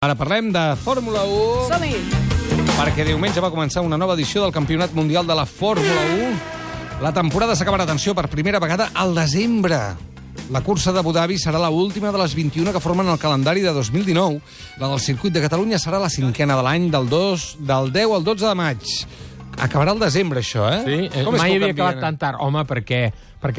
Ara parlem de Fórmula 1. Som-hi! Perquè diumenge va començar una nova edició del Campionat Mundial de la Fórmula 1. La temporada s'acabarà, atenció, per primera vegada al desembre. La cursa d'Abu Dhabi serà l'última de les 21 que formen el calendari de 2019. La del circuit de Catalunya serà la cinquena de l'any, del 10 al 12 de maig. Acabarà al desembre, això, eh? Sí, mai havia acabat tan tard. Home, perquè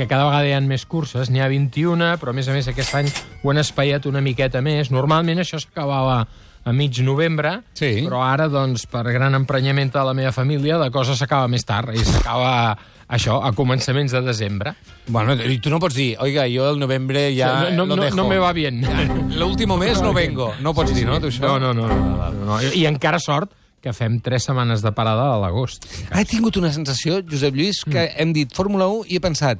cada vegada hi ha més curses. N'hi ha 21, però a més aquest any ho han espaiat una miqueta més. Normalment això s'acabava a mig novembre, sí. Però ara, doncs, per gran emprenyament de la meva família, la cosa s'acaba més tard i s'acaba això, a començaments de desembre. Bueno, i tu no pots dir, oiga, yo el novembre ya no dejo. No me va bien. L'último mes no vengo. No pots dir, no, tu això? No. I encara sort que fem 3 setmanes de parada a l'agost. He tingut una sensació, Josep Lluís, que hem dit Fórmula 1 i he pensat,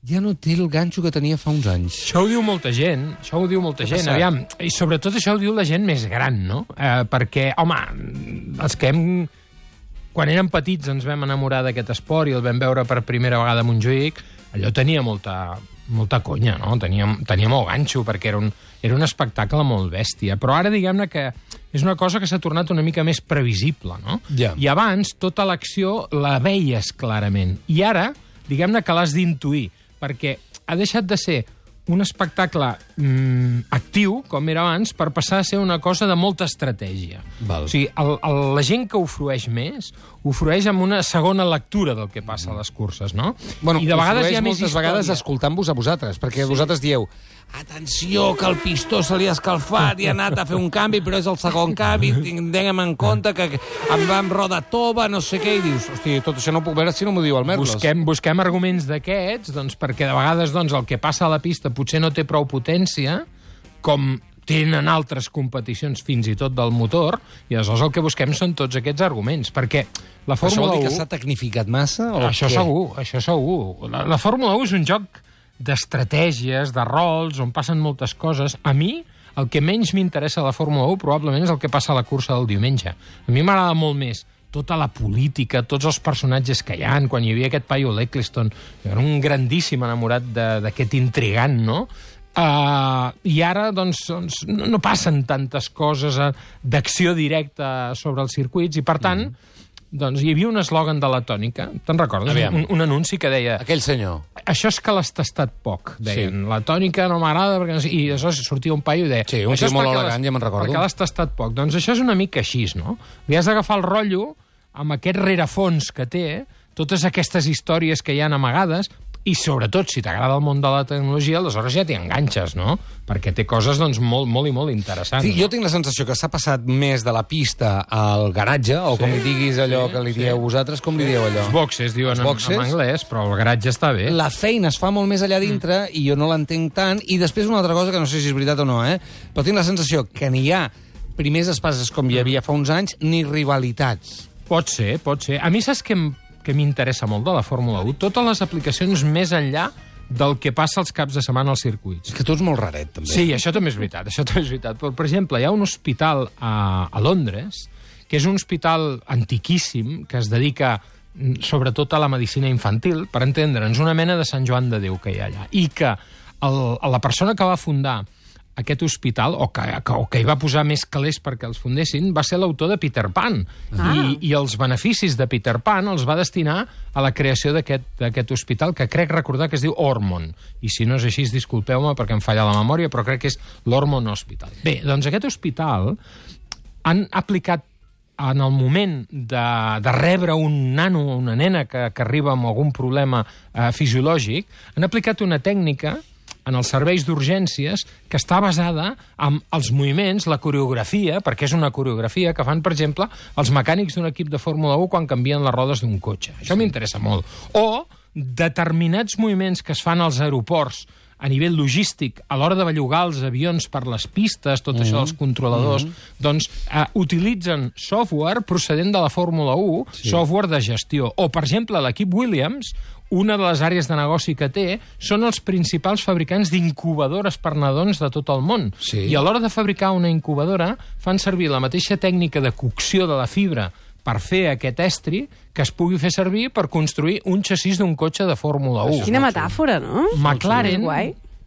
ja no té el ganxo que tenia fa uns anys. Això ho diu molta gent, aviam, i sobretot això ho diu la gent més gran, no? Perquè, home, els que quan érem petits ens vam enamorar d'aquest esport i el vam veure per primera vegada a Montjuïc, allò tenia molta conya, no? Tenia molt ganxo, perquè era un espectacle molt bèstia. Però ara, diguem-ne que és una cosa que s'ha tornat una mica més previsible, no? Ja. I abans tota l'acció la veies clarament. I ara, diguem-ne que l'has d'intuir, perquè ha deixat de ser un espectacle actiu, com era abans, per passar a ser una cosa de molta estratègia. Val. O sigui, la gent que ho frueix més, ho frueix amb una segona lectura del que passa a les curses, no? Bueno, I de vegades hi ha moltes més vegades història. escoltant-vos a vosaltres, perquè vosaltres dieu atenció, que el pistó se li ha escalfat i ha anat a fer un canvi, però és el segon canvi, tinguem en compte que em va amb roda tova, no sé què, i dius, hosti, tot això no ho puc veure si no m'ho diu el Merlos. Busquem arguments d'aquests, doncs, perquè de vegades el que passa a la pista potser no té prou potència, com tenen altres competicions fins i tot del motor, i aleshores el que busquem són tots aquests arguments, perquè la Fórmula 1... Això vol dir que s'ha tecnificat massa? O això segur. La Fórmula 1 és un joc d'estratègies, de rols, on passen moltes coses. A mi, el que menys m'interessa a la Fórmula 1 probablement és el que passa a la cursa del diumenge. A mi m'agrada molt més tota la política, tots els personatges que hi ha. Quan hi havia aquest paio l'Eccleston, era un grandíssim enamorat d'aquest intrigant, no? I ara, doncs, no passen tantes coses d'acció directa sobre els circuits, i per tant, doncs hi havia un eslògan de la tònica, te'n recordes? Un anunci que deia... Aquell senyor. Això és que l'has tastat poc, deien. Sí. La tònica no m'agrada, perquè no sé... I aleshores sortia un paio i deia... Sí, un tio molt elegant, ja me'n recordo. Perquè l'has tastat poc. Doncs això és una mica així, no? Li has d'agafar el rotllo amb aquest rerefons que té, totes aquestes històries que hi ha amagades, i sobretot, si t'agrada el món de la tecnologia, aleshores ja t'hi enganxes, no? Perquè té coses, doncs, molt i molt interessants. Sí, jo tinc la sensació que s'ha passat més de la pista al garatge, o com li diguis allò que li dieu vosaltres, com li dieu allò? Els boxes, diuen en anglès, però el garatge està bé. La feina es fa molt més allà dintre, i jo no l'entenc tant, i després una altra cosa, que no sé si és veritat o no, però tinc la sensació que n'hi ha primers espases com hi havia fa uns anys, ni rivalitats. Pot ser. A mi saps que m'interessa molt de la Fórmula 1? Totes les aplicacions més enllà del que passa els caps de setmana als circuits. És que tu ets molt raret, també. Sí, això també és veritat. Però, per exemple, hi ha un hospital a Londres, que és un hospital antiquíssim, que es dedica sobretot a la medicina infantil, per entendre'ns, una mena de Sant Joan de Déu que hi ha allà. I que la persona que va fundar aquest hospital, o que hi va posar més calés perquè els fundessin, va ser l'autor de Peter Pan. I els beneficis de Peter Pan els va destinar a la creació d'aquest hospital, que crec recordar que es diu Ormond. I si no és així, disculpeu-me perquè em falla la memòria, però crec que és l'Ormond Hospital. Bé, doncs aquest hospital han aplicat en el moment de rebre un nano o una nena que arriba amb algun problema fisiològic, han aplicat una tècnica en els serveis d'urgències, que està basada en els moviments, la coreografia, perquè és una coreografia que fan, per exemple, els mecànics d'un equip de Fórmula 1 quan canvien les rodes d'un cotxe. Això m'interessa molt. O determinats moviments que es fan als aeroports a nivell logístic, a l'hora de bellugar els avions per les pistes, tot això dels controladors, doncs utilitzen software procedent de la Fórmula 1, software de gestió. O, per exemple, l'equip Williams, una de les àrees de negoci que té, són els principals fabricants d'incubadores per nadons de tot el món. I a l'hora de fabricar una incubadora fan servir la mateixa tècnica de cocció de la fibra per fer aquest estri que es pugui fer servir per construir un xassís d'un cotxe de Fórmula 1. Quina metàfora, no? McLaren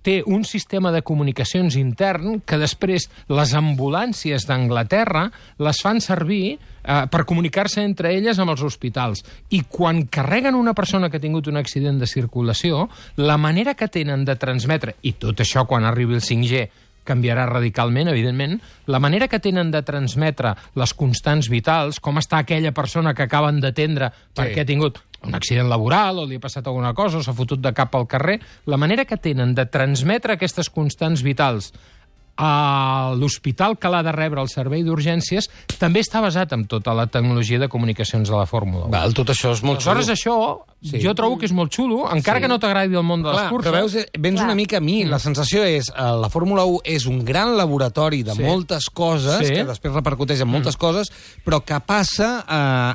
té un sistema de comunicacions intern que després les ambulàncies d'Anglaterra les fan servir per comunicar-se entre elles amb els hospitals. I quan carreguen una persona que ha tingut un accident de circulació, la manera que tenen de transmetre, i tot això quan arribi el 5G canviarà radicalment, evidentment, la manera que tenen de transmetre les constants vitals, com està aquella persona que acaben d'atendre perquè ha tingut un accident laboral o li ha passat alguna cosa o s'ha fotut de cap al carrer, la manera que tenen de transmetre aquestes constants vitals a l'hospital que l'ha de rebre el servei d'urgències també està basat en tota la tecnologia de comunicacions de la Fórmula 1. Val, tot això és molt xulo. Aleshores, això jo trobo que és molt xulo, encara que no t'agradi el món de les curses. Però veus, vens una mica a mi. La sensació és la Fórmula 1 és un gran laboratori de moltes coses, que després repercuteix en moltes coses, però que passa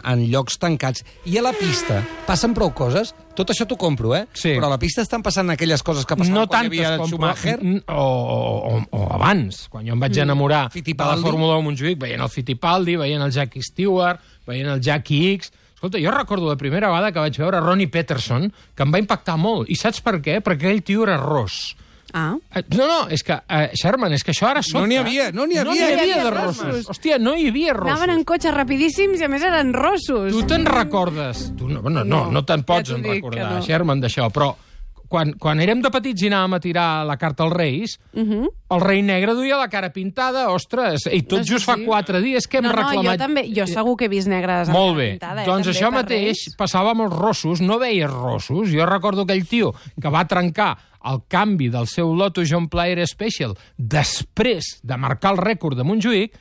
en llocs tancats. I a la pista passen prou coses. Tot això t'ho compro, però a la pista estan passant aquelles coses que passaven quan hi havia el Schumacher. O abans, quan jo em vaig enamorar de la Fórmula 1 a Montjuïc, veient el Fittipaldi, veient el Jackie Stewart, veient el Jackie X. Escolta, jo recordo la primera vegada que vaig veure Ronnie Peterson, que em va impactar molt. I saps per què? Perquè aquell tio era ros. No, és que, Sherman, és que això ara sobta. No n'hi havia de rossos. Hòstia, no hi havia rossos. Anaven en cotxes rapidíssims i a més eren rossos. Tu te'n recordes? No te'n pots recordar, Sherman, d'això, però quan érem de petits i anàvem a tirar la carta als Reis, el rei negre duia la cara pintada, ostres, i tot just fa 4 dies que hem reclamat... Jo també, jo segur que he vist negres amb molt bé, pintada. Doncs això mateix passava amb els rossos, no veies rossos. Jo recordo aquell tio que va trencar el canvi del seu Lotus John Player Special després de marcar el rècord de Montjuïc,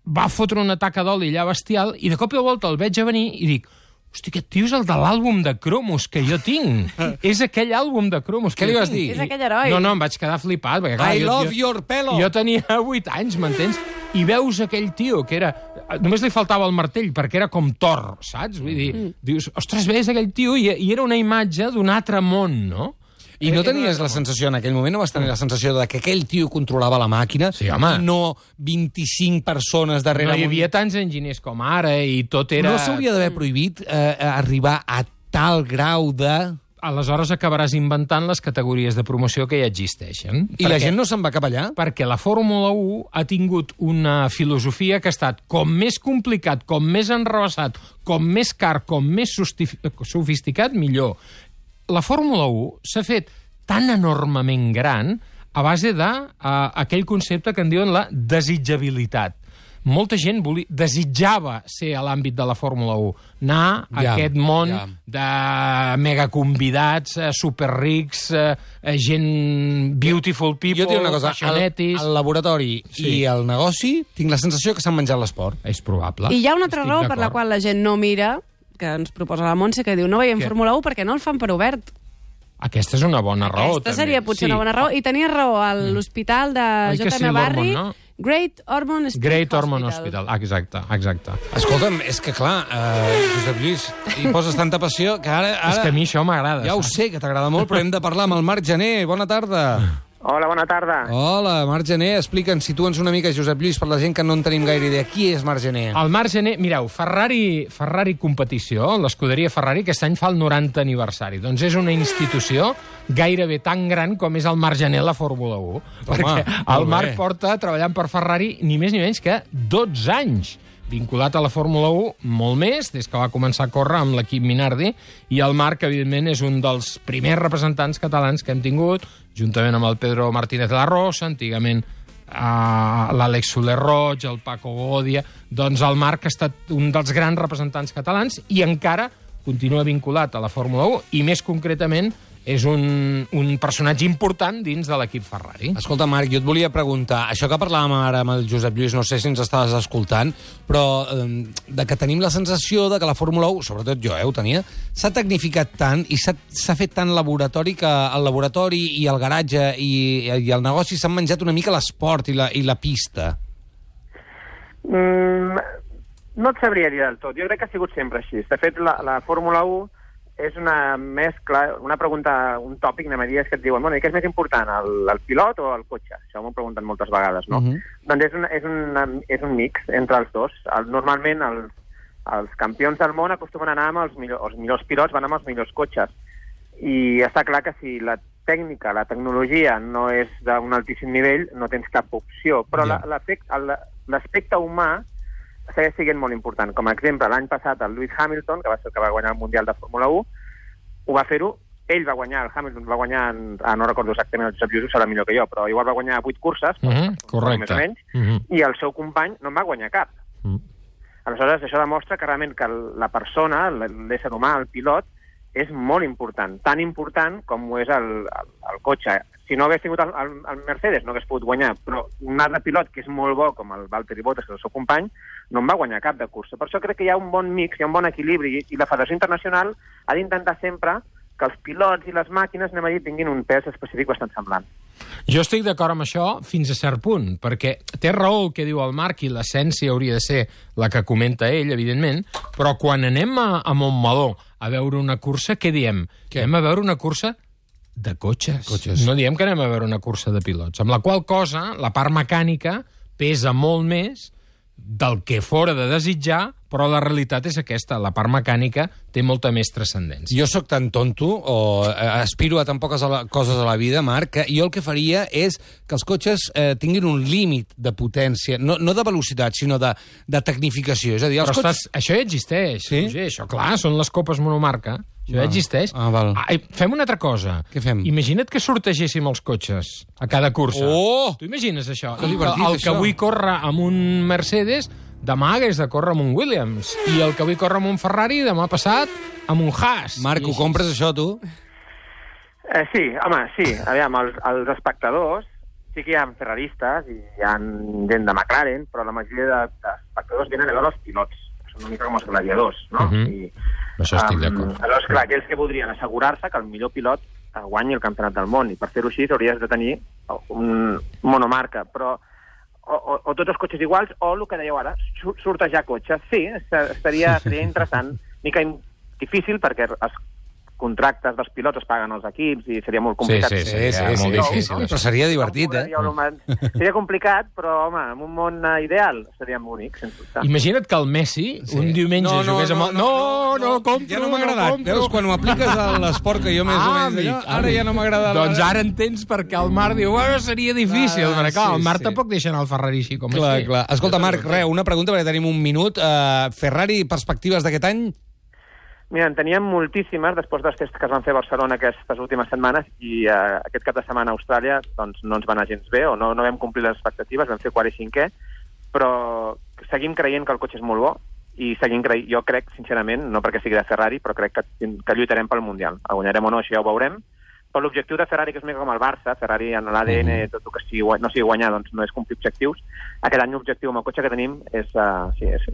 va fotre una taca d'oli allà bestial i de cop i volta el veig a venir i dic: hosti, aquest tio és el de l'àlbum de cromos que jo tinc. És aquell àlbum de cromos. Què li vas dir? És aquell heroi. No, em vaig quedar flipat. Perquè, clar, I love your pelo. Jo tenia 8 anys, m'entens? I veus aquell tio que era... Només li faltava el martell, perquè era com Thor, saps? Vull dir, dius, ostres, veus aquell tio i era una imatge d'un altre món, no? I no tenies la sensació, en aquell moment, no vas tenir la sensació de que aquell tio controlava la màquina? Sí, home. I no 25 persones darrere... No hi havia tants enginyers com ara i tot era... No s'hauria d'haver prohibit arribar a tal grau de... Aleshores acabaràs inventant les categories de promoció que ja existeixen. I la gent no se'n va cap allà? Perquè la Fórmula 1 ha tingut una filosofia que ha estat com més complicat, com més enrevessat, com més car, com més sofisticat, millor. La Fórmula 1 s'ha fet tan enormement gran a base d'aquell concepte que en diuen la desitjabilitat. Molta gent desitjava ser a l'àmbit de la Fórmula 1, anar a aquest món de megaconvidats, superrics, gent beautiful people, jo tinc una cosa, fashionetis... el laboratori i el negoci, tinc la sensació que s'han menjat l'esport. És probable. I hi ha una altra raó per la qual la gent no mira, que ens proposa la Montse, que diu no veiem Fórmula 1 perquè no el fan per obert. Aquesta és una bona raó, també. Aquesta seria potser una bona raó. I tenia raó a l'hospital de J.M. Barrie, Great Ormond Hospital. Exacte. Escolta'm, és que clar, Josep Lluís, hi poses tanta passió que ara... És que a mi això m'agrada. Ja ho sé, que t'agrada molt, però hem de parlar amb el Marc Gené. Bona tarda. Hola, bona tarda. Hola, Marc Gené. Explica'ns, situa'ns una mica, Josep Lluís, per la gent que no en tenim gaire idea. Qui és Marc Gené? El Marc Gené, mireu, Ferrari Competició, l'escuderia Ferrari, aquest any fa el 90 aniversari. Doncs és una institució gairebé tan gran com és el Marc Gené a la Fórmula 1. Perquè el Marc porta treballant per Ferrari ni més ni menys que 12 anys. Vinculat a la Fórmula 1 molt més, des que va començar a córrer amb l'equip Minardi, i el Marc, evidentment, és un dels primers representants catalans que hem tingut, juntament amb el Pedro Martínez de la Rosa, antigament l'Àlex Soler Roig, el Paco Godia... Doncs el Marc ha estat un dels grans representants catalans i encara continua vinculat a la Fórmula 1 i, més concretament, és un personatge important dins de l'equip Ferrari. Escolta, Marc, jo et volia preguntar, això que parlàvem ara amb el Josep Lluís, no sé si ens estaves escoltant, però de que tenim la sensació de que la Fórmula 1, sobretot jo ho tenia, s'ha tecnificat tant i s'ha fet tant laboratori que el laboratori i el garatge i el negoci s'han menjat una mica l'esport i la pista. No et sabria dir del tot. Jo crec que ha sigut sempre així. De fet, la Fórmula 1 és una mescla, una pregunta, un tòpic, anem a dir, és que et diuen, bueno, i què és més important, el pilot o el cotxe? Això m'ho pregunten moltes vegades, no? Doncs és un mix entre els dos. Normalment els campions del món acostumen a anar amb els millors pilots, van amb els millors cotxes. I està clar que si tècnica, la tecnologia no és d'un altíssim nivell, no tens cap opció, però l'aspecte humà segueix sent molt important. Com a exemple, l'any passat el Lewis Hamilton, que va ser el que va guanyar el Mundial de Fórmula 1, ho va fer-ho, ell va guanyar, el Hamilton va guanyar, no recordo exactament, el Josep Lluís serà millor que jo, però igual va guanyar 8 curses, correcte, més o menys, i el seu company no en va guanyar cap. Aleshores, això demostra que realment que la persona, l'ésser humà, el pilot, és molt important, tan important com ho és el cotxe. Si no hagués tingut el Mercedes, no hagués pogut guanyar, però un altre pilot que és molt bo, com el Valtteri Bottas, que és el seu company, no en va guanyar cap de cursa. Per això crec que hi ha un bon mix, hi ha un bon equilibri, i la Federació Internacional ha d'intentar sempre que els pilots i les màquines, anem a dir, tinguin un pes específic bastant semblant. Jo estic d'acord amb això fins a cert punt, perquè té raó el que diu el Marc i l'essència hauria de ser la que comenta ell, evidentment, però quan anem a Montmeló a veure una cursa, què diem? Anem a veure una cursa de cotxes. No diem que anem a veure una cursa de pilots, amb la qual cosa la part mecànica pesa molt més del que fora de desitjar, però la realitat és aquesta, la part mecànica té molta més transcendència. Jo sóc tan tonto, o aspiro a tan poques coses a la vida, Marc, que jo el que faria és que els cotxes tinguin un límit de potència, no de velocitat, sinó de tecnificació. És a dir, això ja existeix. Sí? Això, clar, són les copes monomarca. Això ja existeix. Val. Fem una altra cosa. Què fem? Imagina't que sortegéssim els cotxes a cada cursa. Oh! Tu imagines això? Que divertit, el que això. avui corre amb un Mercedes, demà hagués de córrer amb un Williams. I el que avui corre amb un Ferrari, demà passat amb un Haas. Marc, ho compres, això, tu? Sí, home, sí. Aviam, els espectadors, sí que hi ha ferraristes i hi ha gent de McLaren, però la majoria d'espectadors venen a veure els pilots. Són una mica com els gladiadors, no? Això estic d'acord. Aleshores, clar, aquells que podrien assegurar-se que el millor pilot guanyi el campionat del món, i per fer-ho així hauries de tenir un monomarca, però o tots els cotxes iguals, o el que dèieu ara, sortejar cotxes. Sí, seria interessant, mica difícil, perquè els contractes dels pilots es paguen als equips i seria molt complicat. Sí, molt difícil. Però seria divertit, Seria complicat, però, home, en un món ideal seria bonic, sense dubte. Imagina't que el Messi un diumenge jugués amb... No, compro, ja no m'ha agradat. Veus, quan ho apliques a l'esport que jo més o menys... Ara ja no m'agrada. Doncs ara entens perquè el Marc diu seria difícil, perquè clar, el Marc tampoc deixa anar el Ferrari així com així. Clar. Escolta, Marc, una pregunta, perquè tenim un minut. Ferrari, perspectives d'aquest any? Mira, en teníem moltíssimes després dels tests que es van fer a Barcelona aquestes últimes setmanes, i aquest cap de setmana a Austràlia doncs, no ens va anar gens bé, o no vam complir les expectatives, vam fer 4 i 5è, però seguim creient que el cotxe és molt bo, i jo crec, sincerament, no perquè sigui de Ferrari, però crec que lluitarem pel Mundial. El guanyarem o no, això ja ho veurem. Però l'objectiu de Ferrari, que és més com el Barça, Ferrari en l'ADN, tot el que no sigui guanyar, doncs no és complir objectius. Aquest any l'objectiu amb el cotxe que tenim és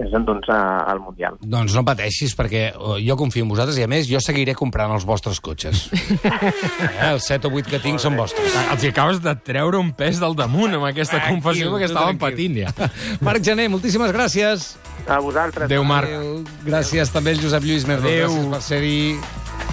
endur-nos al Mundial. Doncs no pateixis, perquè jo confio en vosaltres, i a més jo seguiré comprant els vostres cotxes. Els 7 o 8 que tinc són vostres. Els acabes de treure un pes del damunt amb aquesta confessió, perquè estàvem patint ja. Marc Gené, moltíssimes gràcies. A vosaltres. Adéu, Marc. Gràcies també al Josep Lluís Merlo. Gràcies per ser-hi.